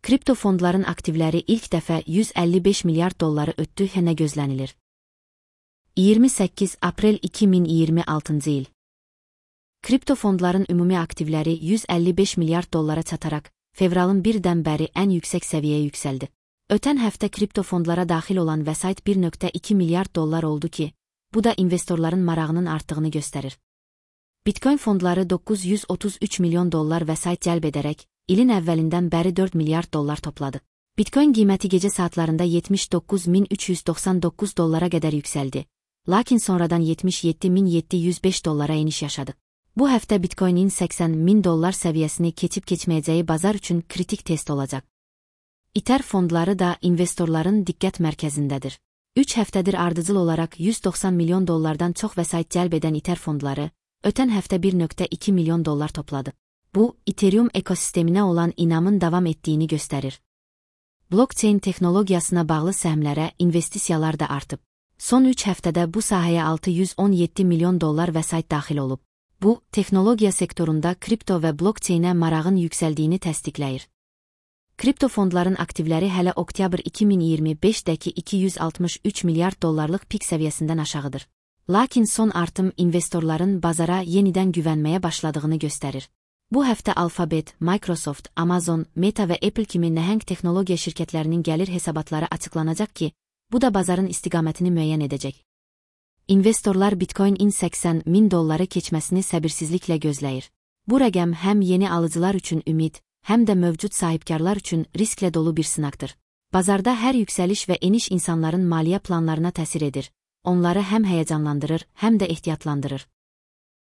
Kripto fondların aktivləri ilk dəfə 155 milyard dolları ötdü, nə gözlənilir? 28 aprel 2026 il. Kripto fondların ümumi aktivləri 155 milyard dollara çataraq, fevralın 1-dən bəri ən yüksək səviyyəyə yüksəldi. Ötən həftə kripto fondlara daxil olan vəsait 1,2 milyard dollar oldu ki, bu da investorların marağının artdığını göstərir. Bitcoin fondları 933 milyon dollar vəsait cəlb edərək, ilin əvvəlindən bəri 4 milyard dollar topladı. Bitcoin qiyməti gecə saatlarında 79.399 dollara qədər yüksəldi, lakin sonradan 77.705 dollara eniş yaşadı. Bu həftə Bitcoinin 80.000 dollar səviyyəsini keçib-keçməyəcəyi bazar üçün kritik test olacaq. Ether fondları da investorların diqqət mərkəzindədir. 3 həftədir ardıcıl olaraq 190 milyon dollardan çox vəsait cəlb edən Ether fondları, ötən həftə 1,2 milyon dollar topladı. Bu, Ethereum ekosisteminə olan inamın davam etdiyini göstərir. Blockchain texnologiyasına bağlı səhmlərə investisiyalar da artıb. Son 3 həftədə bu sahəyə 617 milyon dollar vəsait daxil olub. Bu, texnologiya sektorunda kripto və blockchainə marağın yüksəldiyini təsdiqləyir. Kripto fondların aktivləri hələ oktyabr 2025-dəki 263 milyard dollarlıq pik səviyyəsindən aşağıdır. Lakin son artım investorların bazara yenidən güvənməyə başladığını göstərir. Bu həftə Alphabet, Microsoft, Amazon, Meta və Apple kimi nəhəng texnologiya şirkətlərinin gəlir hesabatları açıqlanacaq ki, bu da bazarın istiqamətini müəyyən edəcək. İnvestorlar Bitcoin-in 80.000 dolları keçməsini səbirsizliklə gözləyir. Bu rəqəm həm yeni alıcılar üçün ümid, həm də mövcud sahibkarlar üçün risklə dolu bir sınaqdır. Bazarda hər yüksəliş və eniş insanların maliyyə planlarına təsir edir. Onları həm həyəcanlandırır, həm də ehtiyatlandırır.